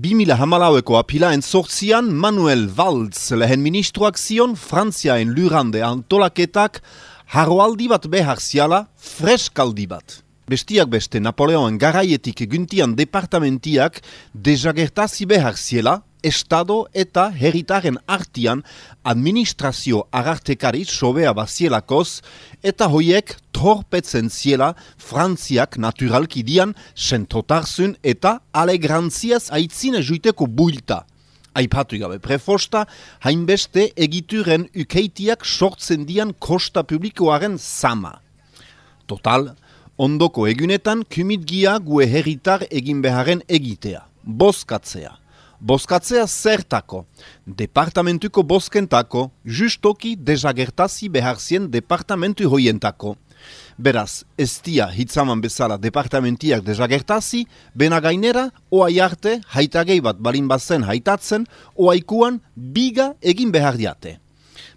2014ko apilaen 8 Manuel Valls lehen ministroak zion Frantziaen lurrande antolaketak harroaldi bat behar ziala, freskaldi bat. Bestiak beste Napoleoen garaietik guntian departamentiak desagertazi behar ziela, Estado eta herritaren artian administrazio agartekari sobea bazielakoz eta hoiek torpetzen ziela Frantziak naturalki dian sentotarzun eta alegrantziaz aitzine juiteko builta. Aipatu gabe prefosta, hainbeste egituren ukeitiak sortzen dian kosta publikoaren sama. Total, ondoko egunetan kumitgia gue herritar egin beharen egitea, bozkatzea. Bozkatzea zertako, departamentuko bozkentako, justoki desagertazi behar zien departamentu hoientako. Beraz, ez dia hitzaman bezala departamentiak desagertazi, bena gainera, oai arte, haitagei bat balin bazen haitatzen, oaikuan biga egin behar diate.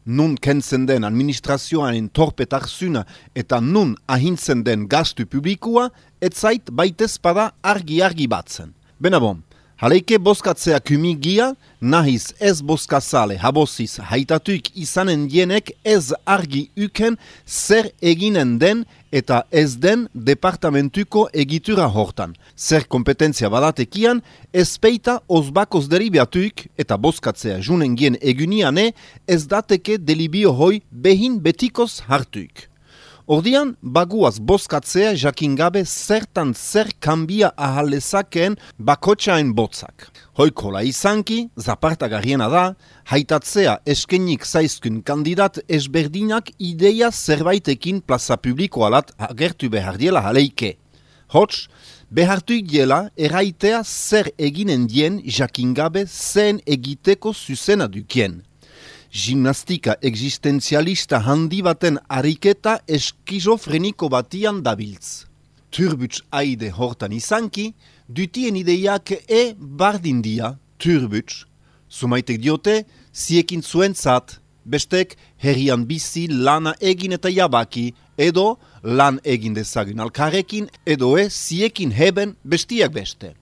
Nun kentzen den administrazioaren torpetarzuna eta nun ahintzen den gastu publikua, etzait baitezpada argi batzen. Bena bon, haleike bozkatzea kumigia, nahiz ez bozkazale haboziz haitatuik izanen dienek ez argi uken zer eginen den eta ez den departamentuko egitura hortan. Zer kompetentzia badatekian, ez peita ozbakoz deribiatuik eta bozkatzea junen gien eguniane ez dateke delibio hoi behin betikoz hartuik. Ordian, baguaz bozkatzea jakingabe zertan zer kanbia ahalezakeen bakotxaen botzak. Hoikola izanki, zapartagarriena da, haitatzea eskenik zaizkun kandidat ezberdinak ideia zerbaitekin plaza publiko alat agertu behar diela haleike. Hots, behartuik diela erraitea zer eginen dien jakingabe zen egiteko zuzena dukien. Gimnastika existenzialista handi baten ariketa eskizofreniko batian dabiltz. Turbuts aide hortan izanki, dutien ideiak bardin dia, turbuts. Sumaitek diote, ziekin zuentzat, bestek herrian bizi lana egin eta jabaki, edo lan egin dezagun alkarrekin, edo ziekin heben bestiak beste.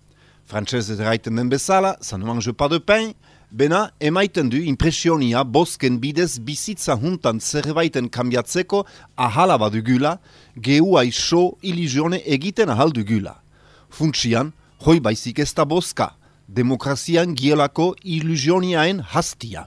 Frantsesez eraiten den bezala, ça ne mange pas de pain, bena emaiten du impresionia bozken bidez bizitza juntan zerbaiten kambiatzeko ahala badugula, geua iso ilusione egiten ahal dugula. Funtsian, hoi baizik ez da bozka, demokrazian gielako ilusioniaen hastia.